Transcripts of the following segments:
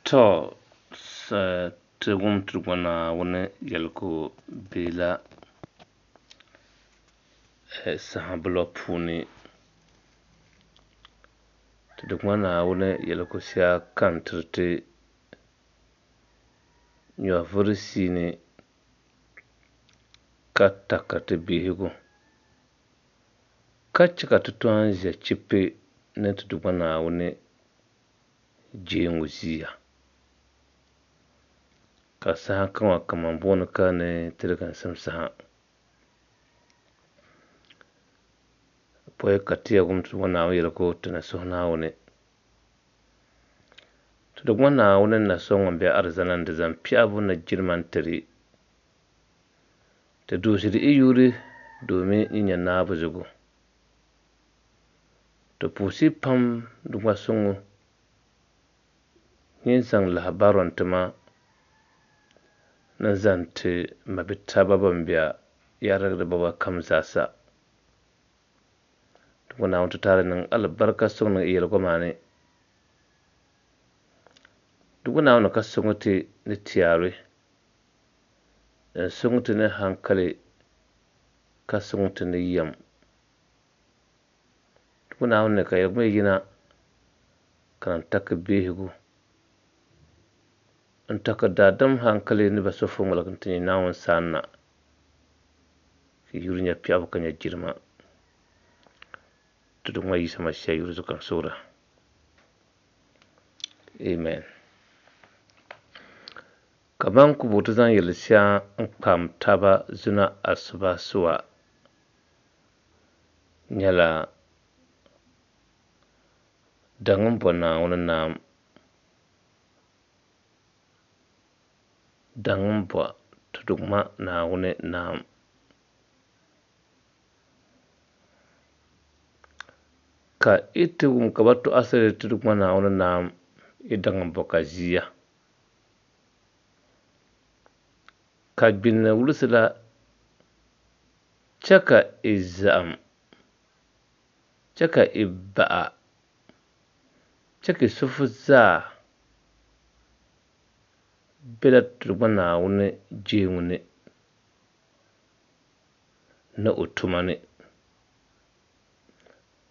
To, ti wum ti Duuma Naawuni yɛligu bela saha bulɔ puuni. Ti Duuma Naawuni yɛligu shɛli ka n tiri ti nyɔvuri siini ka takari ti bihigu ka chɛ ka ti tɔn ʒe chipi ni ti Duuma Naawuni jeeŋu ʒiya. Ka saha kaŋa kaman booni ka ni tiliginsim saha. Pɔi ka ti yɛn wum ti Duuma Naawuni yɛligu ti ni suhi Naawuni. Ti Duuma Naawuni na so ŋun be alizanda ni di zaŋ piɛɣibu ni jilima n-tiri. Ti duhiziri i yuri domin yi nya naabu zugu. Ti puhisi pam Duuma suŋ nyin zaŋ lahabaro n-ti ma ni zaŋ ti mabitaba ban be yarigi bɔba kam zaasa. Duuma Naawuni ti taali niŋ alibarika suŋ niŋ i yɛligu maa ni. Duuma Naawuni ka suŋ ti ni tiari, n-suŋ ti ni hankali, ka suŋ ti ni yɛm. Duuma Naawuni ka yɛligu mi yina ka n taki bihigu, n taki daadam hankali ni ba so fo ŋmaligi nti nyɛ Naawuni saana, ka yuri nya piɛɣibu ka nya jilima. Ti Duuma Yisa Masia yuri zuɣu ka n suhira. Amen. Kaman ku bo ti zaŋ yɛli shɛŋa n-kpam taba zuna asubasuwa nyɛla daŋ m-bo Naawuni naam, daŋ m-bo ti Duuma Naawuni naam. Ka yi ti wum ka bɛ tɔɣisiri ti Duuma Naawuni naam, yi daŋ m-bo ka ʒiya. Ka gbinni wulisi la chɛ ka yi zahim, chɛ ka yi baɣa, chɛ ka yi suhu zaa bela ti Duuma Naawuni jeeŋu ni ni o tuma ni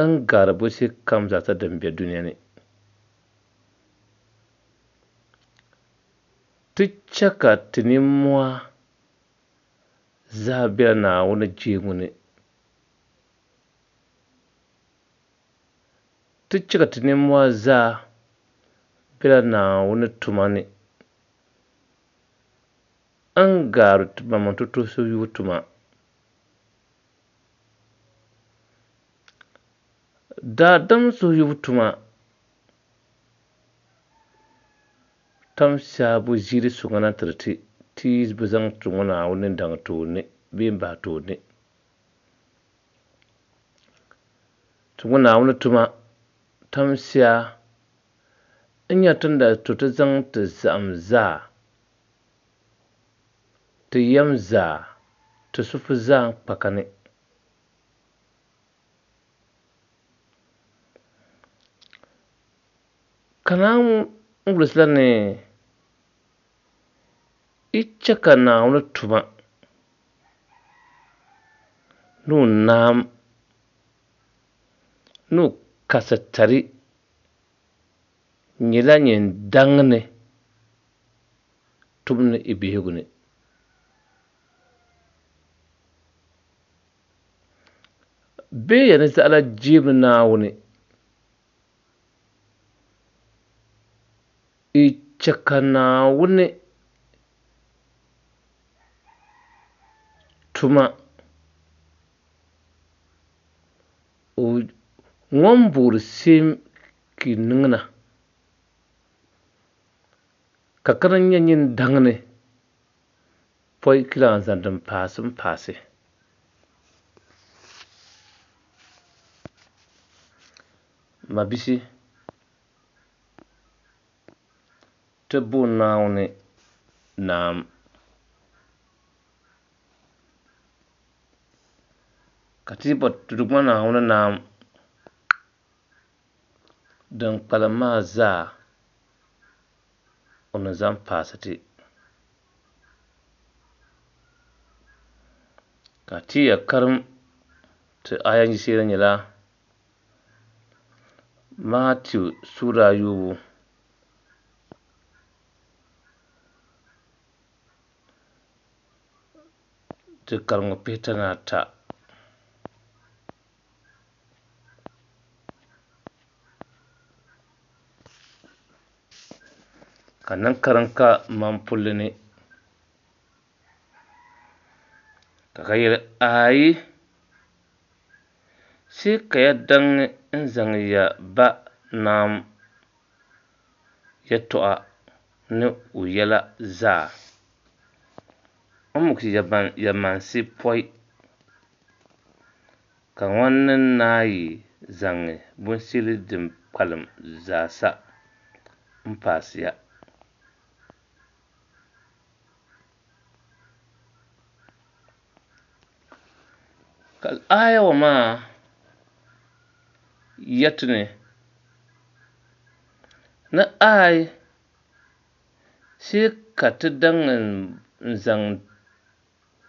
n-gari binshɛɣukam zaasa din be dunia ni. Ti chɛ ka ti nimmohi zaa bela Naawuni jeeŋu ni. Ti chɛ ka ti nimmohi zaa bela Naawuni tuma ni n-gari ti maŋmaŋ tutusi yubu tuma. Daadam suhuyubu tuma tam shɛbu ʒiiri suŋa na tiri ti, ti yi bi zaŋ ti ŋɔ Naawuni daŋ tooni bee m-bahi tooni. Ti ŋɔ Naawuni tuma tam shɛa n-nyɛ ti ni daa to ti zaŋ ti zahim zaa, ti yɛm zaa, ti suhu zaa n-kpa ka ni. Ka Naawuni wulisi la ni yi chɛ ka Naawuni tuma ni o naam ni o kasitali nyɛla nyin daŋ ni tum ni i bihigu ni. Bee ya ni zaɣila jeemni Naawuni i chɛ ka Naawuni tuma o ŋun boori seem ka yi niŋ na, ka ka di nyɛ nyin daŋ ni pɔi ka lan zaŋ din paasi m-paasi. Mabisi, ti bo Naawuni naam. Ka ti yi bo ti Duuma Naawuni naam, din kpalim maa zaa o ni zaŋ paasi ti. Ka ti ya karim ti aya yiɣisira nyɛla Matiu suura ayɔbu. Di kariŋ pihita ni ata. Ka niŋ kariŋ ka mampulli ni ka ka yɛli ayi sai ka ya daŋ n zaŋ ya ba naam yɛtɔɣa ni o yɛla zaa n muɣisi ya mansi pɔi, ka ŋɔ ni naayi zaŋ binshɛli din kpalim zaasa m-paasi ya. Ka aaya ŋɔ maa yɛti ni, ni aai sai ka ti daŋ n-zaŋ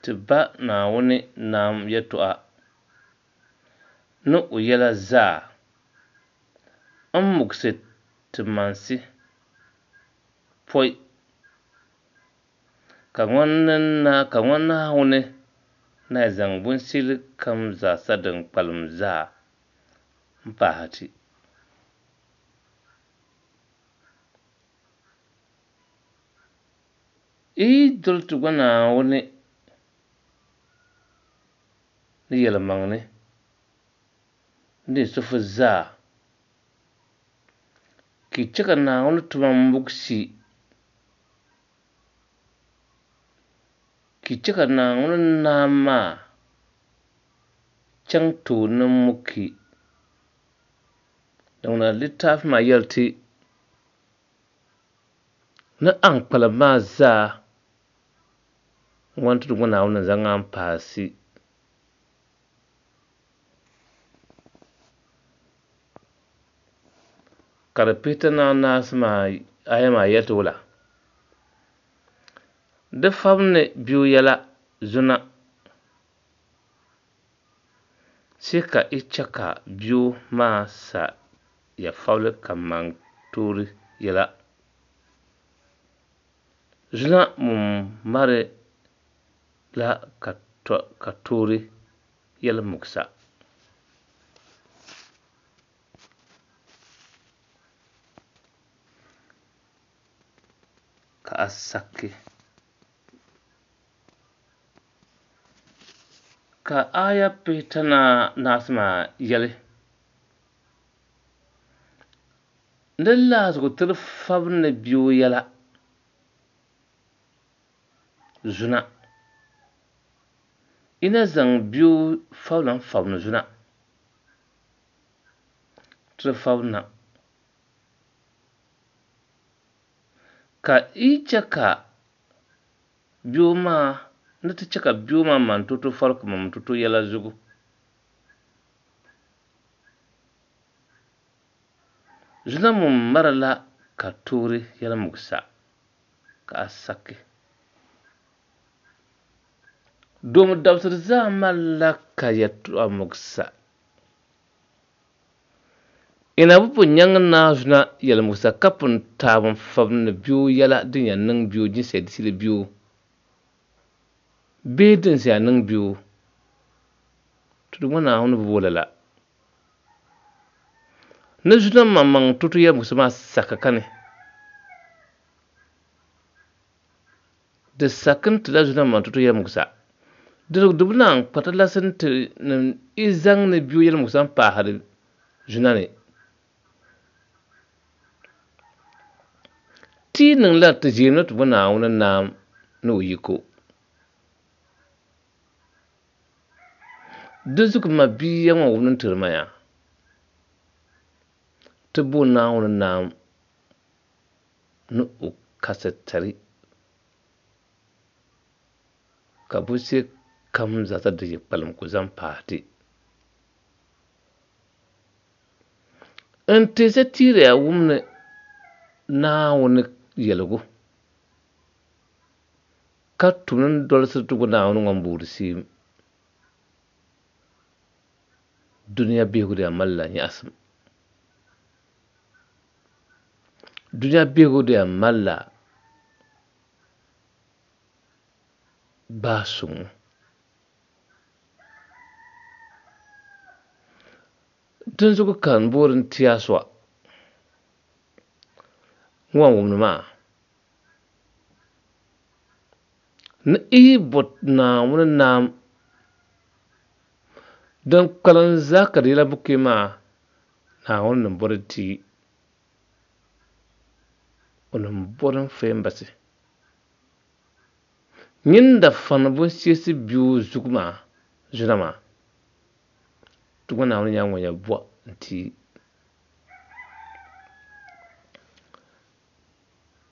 ti ba Naawuni nam yɛtɔɣa ni o yɛla zaa m-muɣisi ti mansi pɔi ka ŋɔ Naawuni na zaŋ binshɛli kam zaasa din kpalim zaa m-pahi ti. Yi yi doli ti gba Naawuni ni yɛlimaŋli ni yi suhu zaa, ka yi chɛ ka Naawuni tuma muɣisi, ka yi chɛ ka Naawuni nam maa chaŋ tooni muki. Din ŋuna litaafi maa yɛli ti ni a ni kpalim maa zaa ŋɔ n-ti ti gba Naawuni ni zaŋ a m-paasi. Ka di pihita ni anaasi maa aya maa yɛli ti wula? Di fabindi bia yɛla zuna sai ka i chɛ ka bia maa sa ya fabili kaman toori yɛla. Zuna ŋun mari la ka toori yɛli muɣisa. Ka a saki. Ka aaya pihita ni anaasi maa yɛli, Ni lahazigu tiri fabindi bia o yɛla zuna. Yi na zaŋ bia o fabila n-fabindi zuna tiri fabindi na. Ka yi chɛ ka bia maa ni ti chɛ ka bia maa man toto fabili ka man toto yɛla zugu. Zuna ŋun marila ka toori yɛli muɣisa ka a saki. Doomi dabisili zaa malila ka yɛtɔɣa muɣisa. Ina bi pun nyaŋ Naa Zuna yɛli muɣisa ka pun taab n-fabindi bia o yɛla din yɛn niŋ bia o jinsiya disili bia o bee din siya niŋ bia o. Tudu ŋɔ Naawuni bi bo lala. Ni Zuna maŋmaŋ tutu yɛli muɣisa maa saka kani. Di saki n-tila Zuna maŋ tutu yɛli muɣisa. Di di bi naan kpa talasi nti ni i zaŋ ni bia o yɛli muɣisa m-paahiri Zuna ni. Ti yi niŋ lala ti ʒiɛmla ti bo Naawuni naam ni o yiko. Dinzuɣu m mabia ŋɔ wumdi n-tiri ma yaa, ti bo Naawuni naam ni o kasitali ka binshɛli kam zaasa din yi kpalim ku zaŋ paai ti. N teesa tiiriya wum ni Naawuni yɛligu ka tum ni dolisi ti gu Naawuni ŋun boori seem, dunia bihigu di yɛn malila nyaɣisim. Dunia bihigu di yɛn malila gbaai suŋ. Dinzuɣu ka n boori n ti a sɔa ŋun wumdi maa ni i yi bo Naawuni naam din kpalim zaa ka di yɛla buku maa, Naawuni ni bɔri ti o ni bɔri n fahim basi. Nyin da fani bunsiesi biu zugu maa zuna maa, ti gba Naawuni nyɛla ŋun yɛn bɔ n-ti.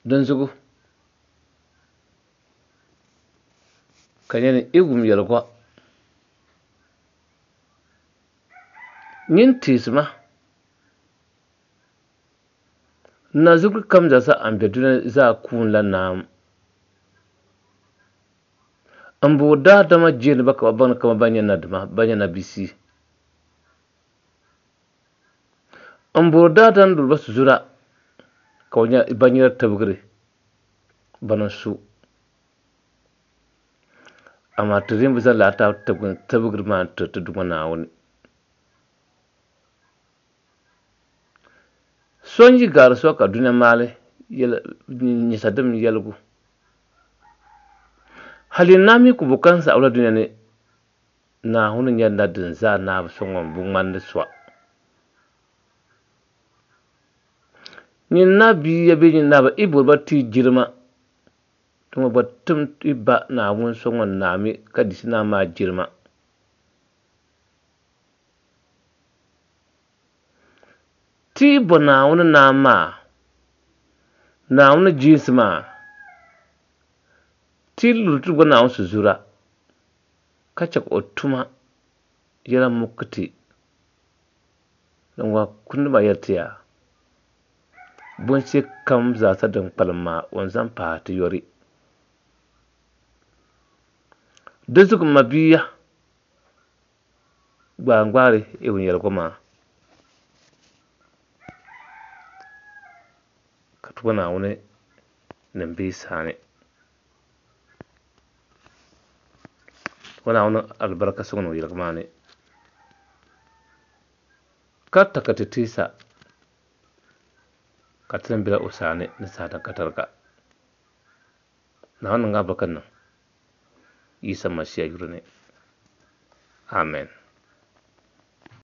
Dinzuɣu ka nyɛ ni i wum yɛligu nyin teesi ma Nazuguri kam zaa sa n be dunia zaa kuunila naam. M bo daadama jeeni ba ka bɛ baŋ ni kaman ban nyɛ nadima, ban nyɛ nabisi. M boori daadam luri ba suzura ka bɛ nyɛ ban nyɛla tibigiri bana n-su. Amaa ti rin bi zaŋ lala tibigiri maa n-tiri ti Duuma Naawuni. So n-yi gari so ka dunia maali nyɛsa dim yɛligu. Hali naa mi ku bo ka n-saɣi la dunia ni Naawuni nyɛla na din zaa naabu so ŋun bi ŋmanni so. Nyin naa bia bee nyin naa ba i bori ba ti jilima, ti ŋɔ gba tim i ba Naawuni so ŋun naami ka disi naa maa jilima. Ti yi bo Naawuni Naam maa, Naawuni jiinsi maa, ti yi luri ti gba Naawuni sizuura, ka chɛ ka o tuma yɛla muki ti, din ŋɔ kundi maa yɛli ti ya, Bunshɛ kam zaasa din kpalim maa, o ni zaŋ paai ti yɔri. Di zuɣu m mabia, Gbaangbaari Ibn yɛligu maa ka ti gba Naawuni ni m-be yi saani. Ti gba Naawuni alibarika sɔŋ niŋ yɛligu maa ni ka ta ka ti teesa ka ti ni bela o saani ni saha din ka tariga. Naawuni niŋ alibarika niŋ Yisa Masia yuli ni. Amen.